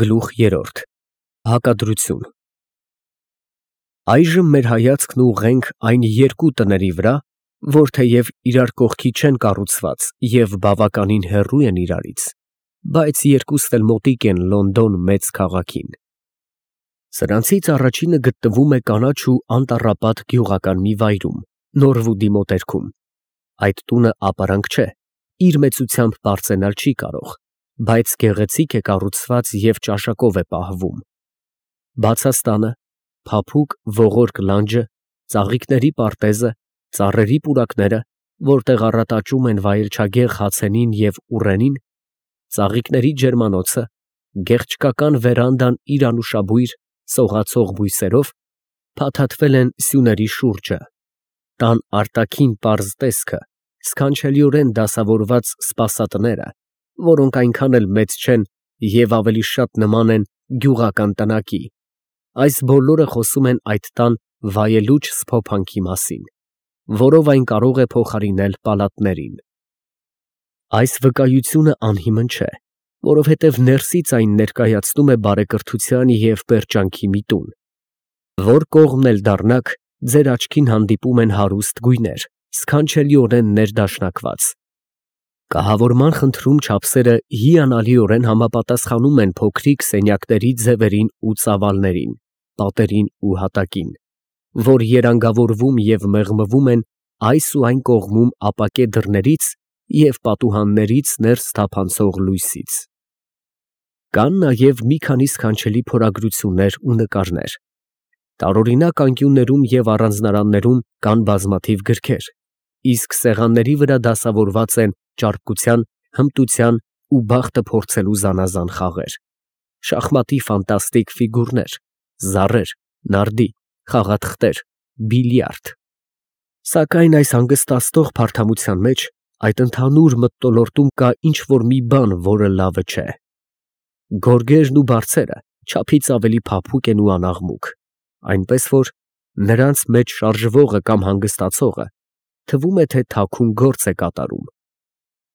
Գլուխ երրորդ Հակադրություն Այժմ մեր հայացքն ուղղենք այն երկու տների վրա, որ թեև իրար կողքի չեն կառուցված և բավականին հեռու են իրարից, բայց երկուսն էլ մոտիկ են Լոնդոն մեծ քաղաքին։ Սրանցից առաջինը գտնվում է կանաչ ու անտառապատ գյուղական մի վայրում, Նորվուդի մոտերքում։ Այդ տունը ապարանք չէ, իր մեծությամբ բարձրանալ չի կարող, բայց գեղեցիկ է կառուցված և ճաշակով է պահվում։ Բացաստանը, փափուկ ողորկ լանջը, ծաղիկների պարտեզը, ծառերի պուրակները, որտեղ առատաճում են վայելչագեղ հացենին և ուռենին, ծաղիկների ջերմանոցը, գեղչկական վերանդան իր անուշաբույր, սողացող բույսերով, փաթաթվել են սյուների շուրջը, տան արտաքին պարզ տեսքը, սքանչելիորեն դասավորված սպասատները, որոնք այնքան էլ մեծ չեն և ավելի շատ նման են գյուղական տնակի, այս բոլորը խոսում են այդ տան վայելուչ սփոփանքի մասին, որով այն կարող է փոխարինել պալատներին։ Այս վկայությունը անհիմն չէ, որովհետև ներսից այն ներկայացնում է բարեկրթության և պերճանքի մի տուն։ Որ կողմն էլ դառնաք, ձեր աչքին հանդիպում են հարուստ գույներ, սքանչելիորեն ներդաշնակված։ Կահավորման խնդրում չափսերը հիանալիորեն համապատասխանում են փոքրիկ սենյակների ձևերին ու ծավալներին, պատերին ու հատակին, որ երանգավորվում և մեղմվում են այս ու այն կողմում ապակե դռներից և պատուհաններից ներս թափանցող լույսից։ Կան նաև մի քանի սքանչելի փորագրություններ ու նկարներ։ Տարօրինակ անկյուններում և առանձնարաններում կան բազմաթիվ գրքեր, իսկ սեղանների վրա դասավորված են ճարպկության, հմտության ու բախտը փորձելու զանազան խաղեր, շախմատի ֆանտաստիկ ֆիգուրներ, զառեր, նարդի, խաղաթղթեր, բիլիարդ։ Սակայն այս հանգստացնող փարթամության մեջ, այդ ընդհանուր մթնոլորտում կա ինչ֊որ մի բան, որը լավը չէ։ Գորգերն ու բարձերը չափից ավելի փափուկ են ու անաղմուկ, այնպես որ նրանց մեջ շարժվողը կամ հանգստացողը թվում է, թե թաքուն գործ է կատարում։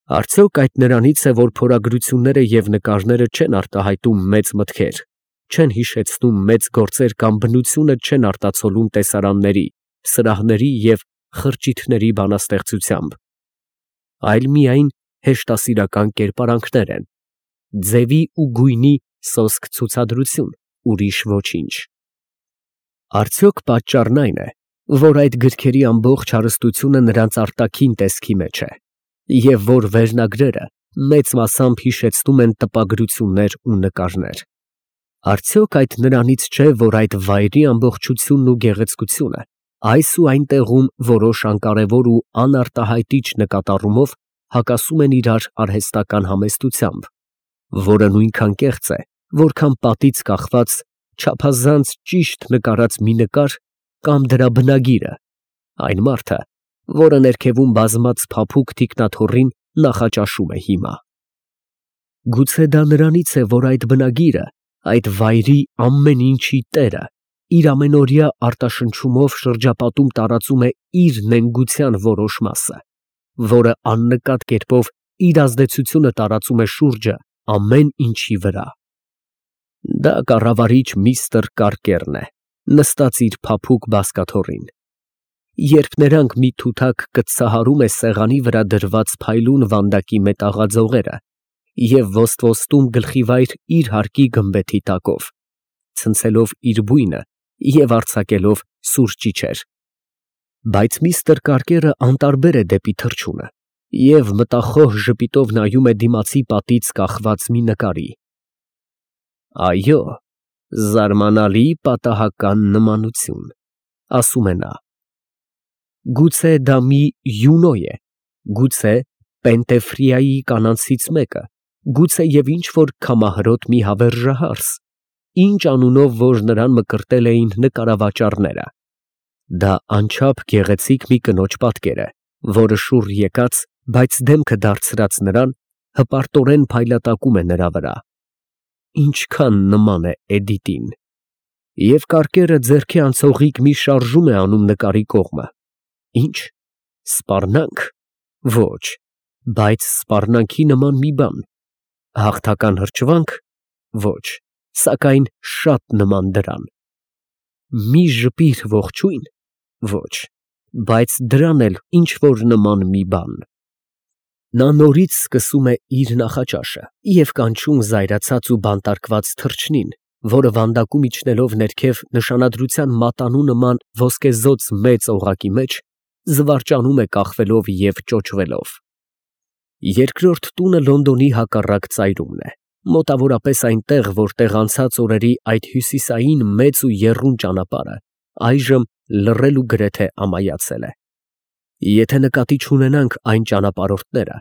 Արդյոք այդ նրանից է, որ փորագրությունները և նկարները չեն արտահայտում մեծ մտքեր, չեն հիշեցնում մեծ գործեր կամ բնությունը չեն արտացոլում տեսարանների, սրահների և խրճիթների բանաստեղծությամբ, այլ միայն հեշտասիրական կերպարանքներ են, ձևի ու գույնի սոսկ ցուցադրություն, ուրիշ ոչինչ։ Արդյոք պատճառն այն է, որ այդ գրքերի ամբողջ հարստությունը նրանց արտաքին տեսքի մեջ է, և որ վերնագրերը մեծ մասամբ հիշեցնում են տպագրություններ ու նկարներ։ Արդյոք այդ նրանից չէ, որ այդ վայրի ամբողջությունն ու գեղեցկությունը այս ու այն տեղում որոշ անկարևոր ու անարտահայտիչ նկատառումով հակասում են իրար արհեստական համեստությամբ, որը նույնքան կեղծ է, որքան պատից կախված, չափազանց ճիշտ նկարած մի նկար կամ դրա բնագիրը, այն մարդը, որը ներքևում բազմած փափուկ թիկնաթոռին նախաճաշում է հիմա։ Գուցե դա նրանից է, որ այդ բնագիրը, այդ վայրի ամեն ինչի տերը, իր ամենօրյա արտաշնչումով շրջապատում տարածում է իր նենգության որոշ մասը, որը աննկատ կերպով իր ազդեցությունը տարածում է շուրջը ամեն ինչի վրա։ Դա կառավարիչ միստր Կարկերն է, նստած իր փափուկ բազկաթոռին։ Երբ նրանք մի թութակ կծահարում է սեղանի վրա դրված փայլուն վանդակի մետաղաձողերը և ոստվոստում գլխիվայր իր հարկի գմբեթի տակով, ցնցելով իր բույնը և արձակելով սուր ճիչեր, բայց միստր Կարկերը անտարբեր է դեպի թռչունը և մտախոհ ժպիտով նայում է դիմացի պատից կախված մի նկարի։ Այո, զարմանալի պատահական նմանություն, ասում է նա։ Գուցե դա մի յունո է, գուցե Պենտեֆրիայի կանանցից մեկը, գուցե և ինչ֊որ քամահրոտ մի հավերժահարս, ինչ անունով որ նրան մկրտել էին նկարավաճառները։ Դա անչափ գեղեցիկ մի կնոջ պատկեր է, որը շուռ եկած, բայց դեմքը դարձրած նրան, հպարտորեն փայլատակում է նրա վրա։ Ինչքան նման է Էդիտին։ Եվ Կարկերը ձեռքի անցողիկ մի շարժում է անում նկարի կողմը։ Ի՞նչ, սպառնա՞նք։ Ոչ, բայց սպառնալքի նման մի բան։ Հաղթական հրճվա՞նք։ Ոչ, սակայն շատ նման դրան։ Մի ժպիր ողջույն, ոչ, բայց դրան էլ ինչ որ նման մի բան։ Նա նորից սկսում է իր նախաճաշը և կանչում զայրացած ու բանտարկված թռչնին, որը վանդակում իջնելով ներքև նշանադրության մատանու նման ոսկեզօծ մեծ օղակի մեջ, զվարճանում է կախվելով և ճոճվելով։ Երկրորդ տունը Լոնդոնի հակառակ ծայրումն է, մոտավորապես այնտեղ, որտեղ անցած օրերի այդ հյուսիսային մեծ ու եռուն ճանապարհը այժմ լռել ու գրեթե ամայացել է։ Եթե նկատի չունենանք այն ճանապարհորդները,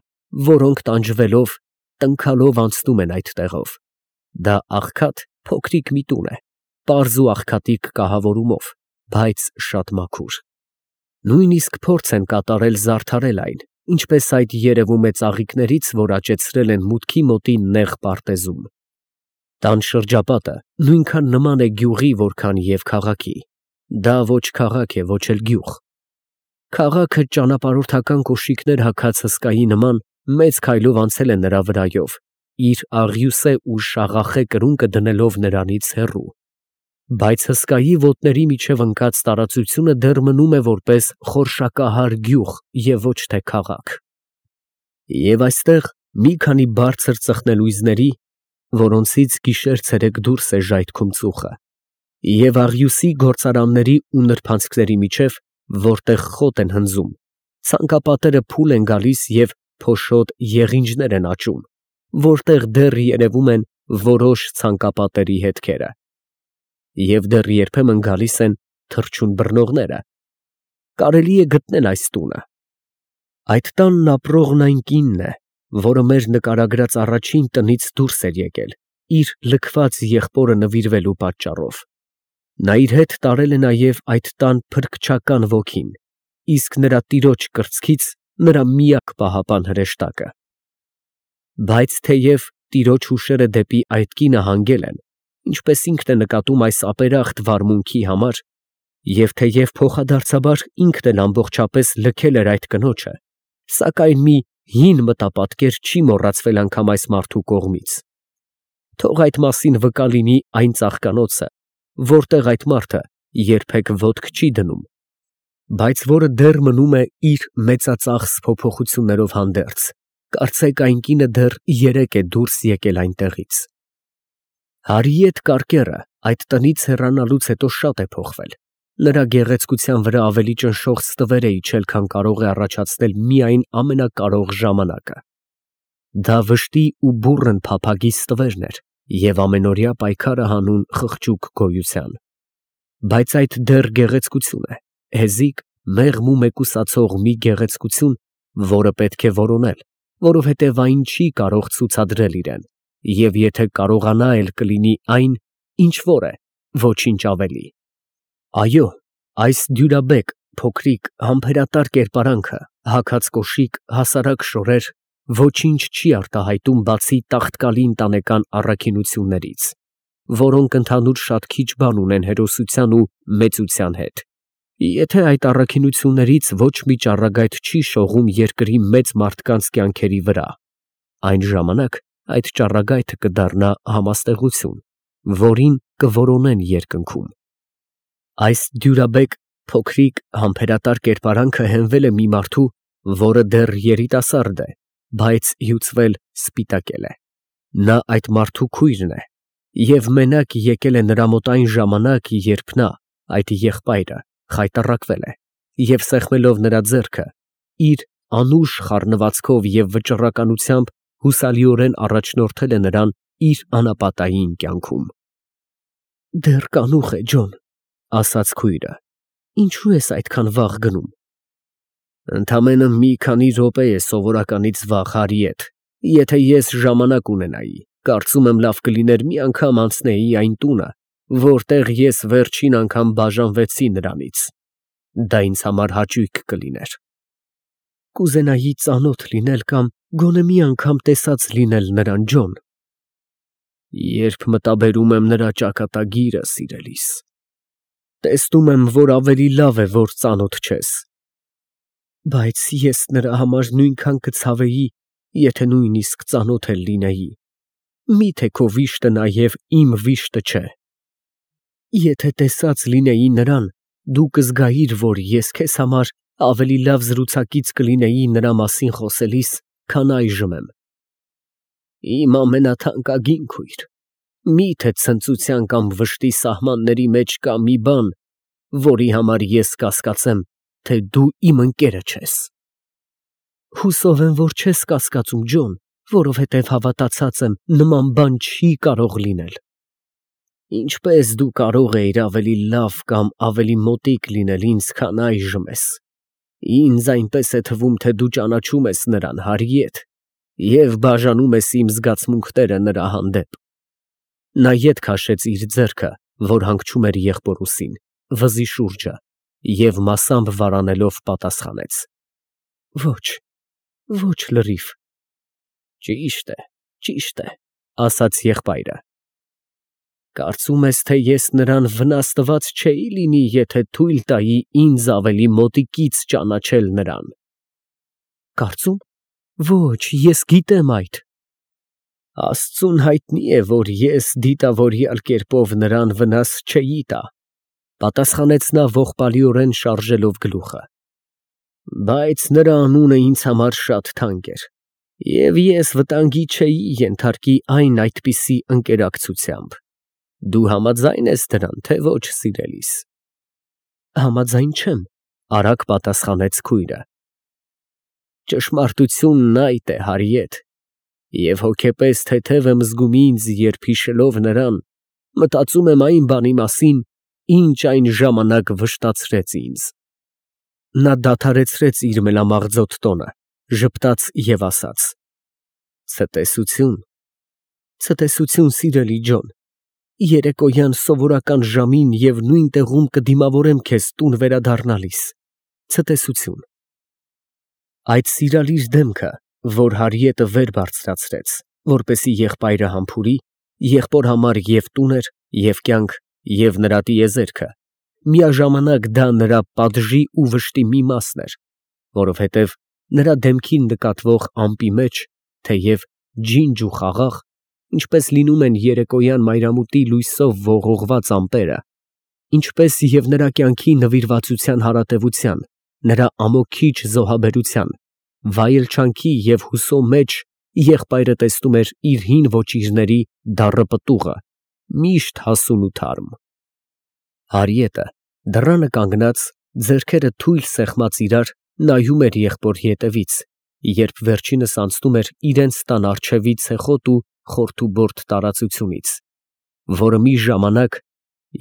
որոնք տանջվելով, տնքալով անցնում են այդ տեղով, դա աղքատ փոքրիկ մի տուն է, պարզ ու աղքատիկ կահավորումով, բայց շատ մաքուր։ Նույնիսկ փորձ են կատարել զարդարել այն, ինչպես այդ երևում է ծաղիկներից, որ աճեցրել են մուտքի մոտի նեղ պարտեզում։ Տան շրջապատը նույնքան նման է գյուղի, որքան և քաղաքի։ Դա ոչ քաղաք է, ոչ էլ գյուղ։ Քաղաքը ճանապարհորդական կոշիկներ հագած հսկայի նման մեծ քայլով անցել է նրա վրայով, իր աղյուսե ու շաղախե կրունկը դնելով նրանից հեռու, բայց հսկայի ոտների միջև ընկած տարածությունը դեռ մնում է որպես խորշակահար գյուղ և ոչ թե քաղաք։ Եվ այստեղ մի քանի բարձր ծխնելույզների, որոնցից գիշեր֊ցերեկ դուրս է ժայթքում ծուխը, և աղյուսի գործարանների ու նրբանցքների միջև, որտեղ խոտ են հնձում, ցանկապատերը փուլ են գալիս և փոշոտ եղինջներ են աճում, որտեղ դեռ երևում են որոշ ցանկապատերի հետքերը, և դեռ երբեմն գալիս են թռչուն բռնողները։ Կարելի է գտնել այս տունը։ Այդ տանն ապրողն այն կինն է, որը մեր նկարագրած առաջին տնից դուրս էր եկել, իր լքված եղբորը նվիրվելու պատճառով։ Նա իր հետ տարել է նաև այդ տան փրկչական ոգին, իսկ նրա տիրոջ կրծքից նրա միակ պահապան հրեշտակը։ Բայց թեև տիրոջ հուշերը դեպի այդ կինը հանգել են, ինչպես ինքն է նկատում այս ապերախտ վարմունքի համար, և թեև փոխադարձաբար ինքն էլ ամբողջապես լքել էր այդ կնոջը, սակայն մի հին մտապատկեր չի մոռացվել անգամ այս մարդու կողմից։ Թող այդ մասին վկա լինի այն ծաղկանոցը, որտեղ այդ մարդը երբեք ոտք չի դնում, բայց որը դեռ մնում է իր մեծածախս փոփոխություններով հանդերձ, կարծեք այն կինը դեռ երեկ է դուրս եկել այնտեղից։ Հարիեթ Կարկերը այդ տնից հեռանալուց հետո շատ է փոխվել, նրա գեղեցկության վրա ավելի ճնշող ստվեր է իջել, քան կարող է առաջացնել միայն ամենակարող ժամանակը։ Դա վշտի ու բուռն փափագի ստվերն էր և ամենօրյա պայքարը հանուն խղճուկ գոյության։ Բայց այդ դեռ գեղեցկություն է, հեզիկ, մեղմ ու մեկուսացող մի գեղեցկություն, որը պետք է որոնել, որովհետև այն չի կարող ցուցադրել իրեն, և եթե կարողանա էլ կլինի այն, ինչ որ է, ոչինչ ավելի։ Այո, այս դյուրաբեկ, փոքրիկ, համբերատար կերպարանքը, հագած կոշիկ, հասարակ շորեր, ոչինչ չի արտահայտում բացի տաղտկալի ընտանեկան առաքինություններից, որոնք ընդհանուր շատ քիչ բան ունեն հերոսության ու մեծության հետ։ Եթե այդ առաքինություններից ոչ մի ճառագայթ չի շողում երկրի մեծ մարդկանց կյանքերի վրա, այն ժամանակ այդ ճառագայթը կդառնա համաստեղություն, որին կորոնեն երկնքում։ Այս դյուրաբեկ, փոքրիկ, համբերատար կերպարանքը հենվել է մի մարդու, որը դեռ երիտասարդ է, բայց հյուծվել սպիտակել է։ Նա այդ մարդու քույրն է, և մենակ եկել է նրա մոտ այն ժամանակ, երբ նա, այդ եղբայրը, խայտառակվել է, և սեղմելով նրա ձեռքը, իր անուշ խառնվածքով և վճռականությամբ հուսալիորեն առաջնորդել է նրան իր անապատային կյանքում։ «Դեռ կանուխ է, Ջոն», ֊ ասաց քույրը, ֊ ինչո՞ւ ես այդքան վաղ գնում։ «Ընդամենը մի քանի րոպե է սովորականից վաղ, Հարիեթ, եթե ես ժամանակ ունենայի, կարծում եմ լավ կլիներ մի անգամ անցնեի այն տունը, որտեղ ես վերջին անգամ բաժանվեցի նրանից, դա ինձ համար հաճույք կլիներ»։ «Կուզենայի ծանոթ լինել կամ գոնե մի անգամ տեսած լինել նրան, Ջոն»։ «Երբ մտաբերում եմ նրա ճակատագիրը, սիրելիս, տեսնում եմ, որ ավելի լավ է, որ ծանոթ չես»։ «Բայց ես նրա համար նույնքան կցավեի, եթե նույնիսկ ծանոթ էլ լինեի»։ Միթե քո վիշտը նաև իմ վիշտը չէ։ Եթե տեսած լինեի նրան, դու կզգայիր, որ ես քեզ համար ավելի լավ զրուցակից կլինեի նրա մասին խոսելիս, քան այժմ եմ։ Իմ ամենաթանկագին քույր, միթե ցնծության կամ վշտի սահմանների մեջ կա մի բան, որի համար ես կասկածեմ, թե դու իմ ընկերը չես։ Հուսով եմ, որ չես կասկածում, Ջոն, որովհետև հավատացած եմ, նման բան չի կարող լինել։ Ինչպես դու կարող էիր ավելի լավ կամ ավելի մոտիկ լինել ինձ, քան այժմ ես։ Ինձ այնպես է թվում, թե դու ճանաչում ես նրան, Հարիեթ, և բաժանում ես իմ զգացմունքները նրա հանդեպ։ Նա ետ քաշեց իր ձեռքը, որ հանգչում էր եղբորուսին, վզի շուրջը, և մասամբ վարանելով պատասխանեց. Ոչ լրիվ։ Ճիշտ է, ասաց եղբայրը։ Կարծում ես, թե ես նրան վնաս տված չէի լինի, եթե թույլ տայի ինձ ավելի մոտիկից ճանաչել նրան։ Կարծում։ Ոչ, ես գիտեմ այդ։ Աստծուն հայտնի է, որ ես դիտավորյալ կերպով նրան վնաս չէի տա, պատասխանեց նա ողբալիորեն շարժելով գլուխը։ Բայց նրա անունը ինձ համար շատ թանկ էր, և ես վտանգի չէի ենթարկի այն այդպիսի ընկերակցությամբ։ Դու համաձայն ես դրան, թե ոչ, սիրելիս։ Համաձայն չեմ, արագ պատասխանեց քույրը։ Ճշմարտությունն այդ է, Հարիեթ, և հոգեպես թեթև եմ զգում ինձ, երբ հիշելով նրան, մտածում եմ այն բանի մասին, ինչ այն ժամանակ վշտացրեց ինձ։ Նա դադարեցրեց իր մելամաղձոտ տոնը, ժպտաց և ասաց. Ցտեսություն, սիրելի Ջոն, երեկոյան սովորական ժամին և նույն տեղում կդիմավորեմ քեզ տուն վերադառնալիս։ Ցտեսություն։ Այդ սիրալիր դեմքը, որ Հարիետը վեր բարձրացրեց, որպեսզի եղբայրը համբուրի, եղբոր համար և տուն էր, և կյանք, և նրա տիեզերքը, միաժամանակ դա նրա պատժի ու վշտի մի մասն էր, որովհետև նրա դեմքին նկատվող ամպի մեջ, թեև ջինջ ու խաղաղ, ինչպես լինում են երեկոյան մայրամուտի լույսով ողողված ամպերը, ինչպես և նրա կյանքի նվիրվածության հարատևության, նրա ամոքիչ զոհաբերության, վայելչանքի և հուսո մեջ եղբայրը տեսնում էր իր հին ոճիրների դառը պտուղը, միշտ հասուն ու թարմ։ Հարիետը դռանը կանգնած, ձեռքերը թույլ սեղմած իրար, նայում էր եղբորի ետևից, երբ վերջինս անցնում էր իրենց տան առջևի ցեխոտ ու խորթուբորդ տարածությունից, որը մի ժամանակ,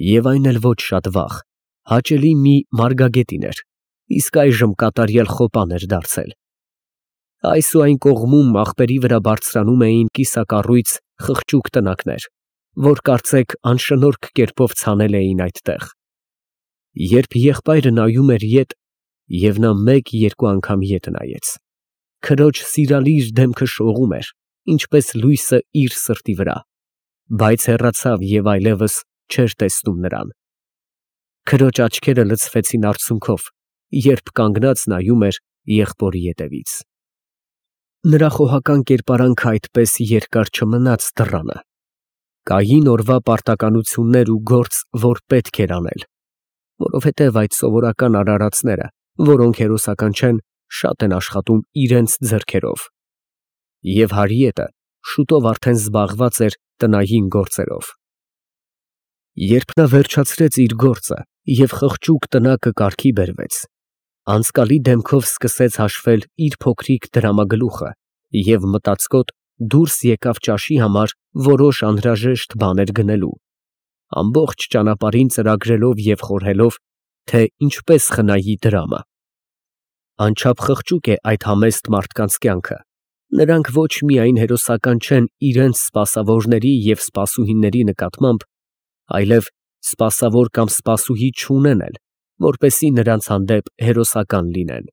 և այն էլ ոչ շատ վաղ, հաճելի մի մարգագետին էր, իսկ այժմ կատարյալ խոպան էր դարձել։ Այս ու այն կողմում աղբերի վրա բարձրանում էին կիսակառույց խղճուկ տնակներ, որ կարծեք անշնորհք կերպով ցանել էին այդտեղ։ Երբ եղբայրը նայում էր ետ, և նա մեկ-երկու անգամ ետ նայեց, քրոջ սիրալիր դեմքը շողում էր, ինչպես լույսը իր սրտի վրա, բայց հեռացավ և այլևս չէր տեսնում նրան։ Քրոջ աչքերը լցվեցին արցունքով, երբ կանգնած նայում էր եղբորի ետևից։ Նրա խոհական կերպարանքը այդպես երկար չմնաց դռանը։ Կային օրվա պարտականություններ ու գործ, որ պետք էր անել, որովհետև այդ սովորական արարածները, որոնք հերոսական չեն, շատ են աշխատում իրենց ձեռքերով։ Եվ Հարիետը շուտով արդեն զբաղված էր տնային գործերով։ Երբ նա վերջացրեց իր գործը և խղճուկ տնակը կարգի բերվեց, անցկալի դեմքով սկսեց հաշվել իր փոքրիկ դրամագլուխը և մտածկոտ դուրս եկավ ճաշի համար որոշ անհրաժեշտ բաներ գնելու, ամբողջ ճանապարհին ծրագրելով և խորհելով, թե ինչպես խնայի դրամը։ Անչափ խղճուկ է այդ համեստ մարդկանց կյանքը, նրանք ոչ միայն հերոսական չեն իրենց սպասավորների և սպասուհիների նկատմամբ, այլև սպասավոր կամ սպասուհի չունեն էլ, որպեսզի նրանց հանդեպ հերոսական լինեն։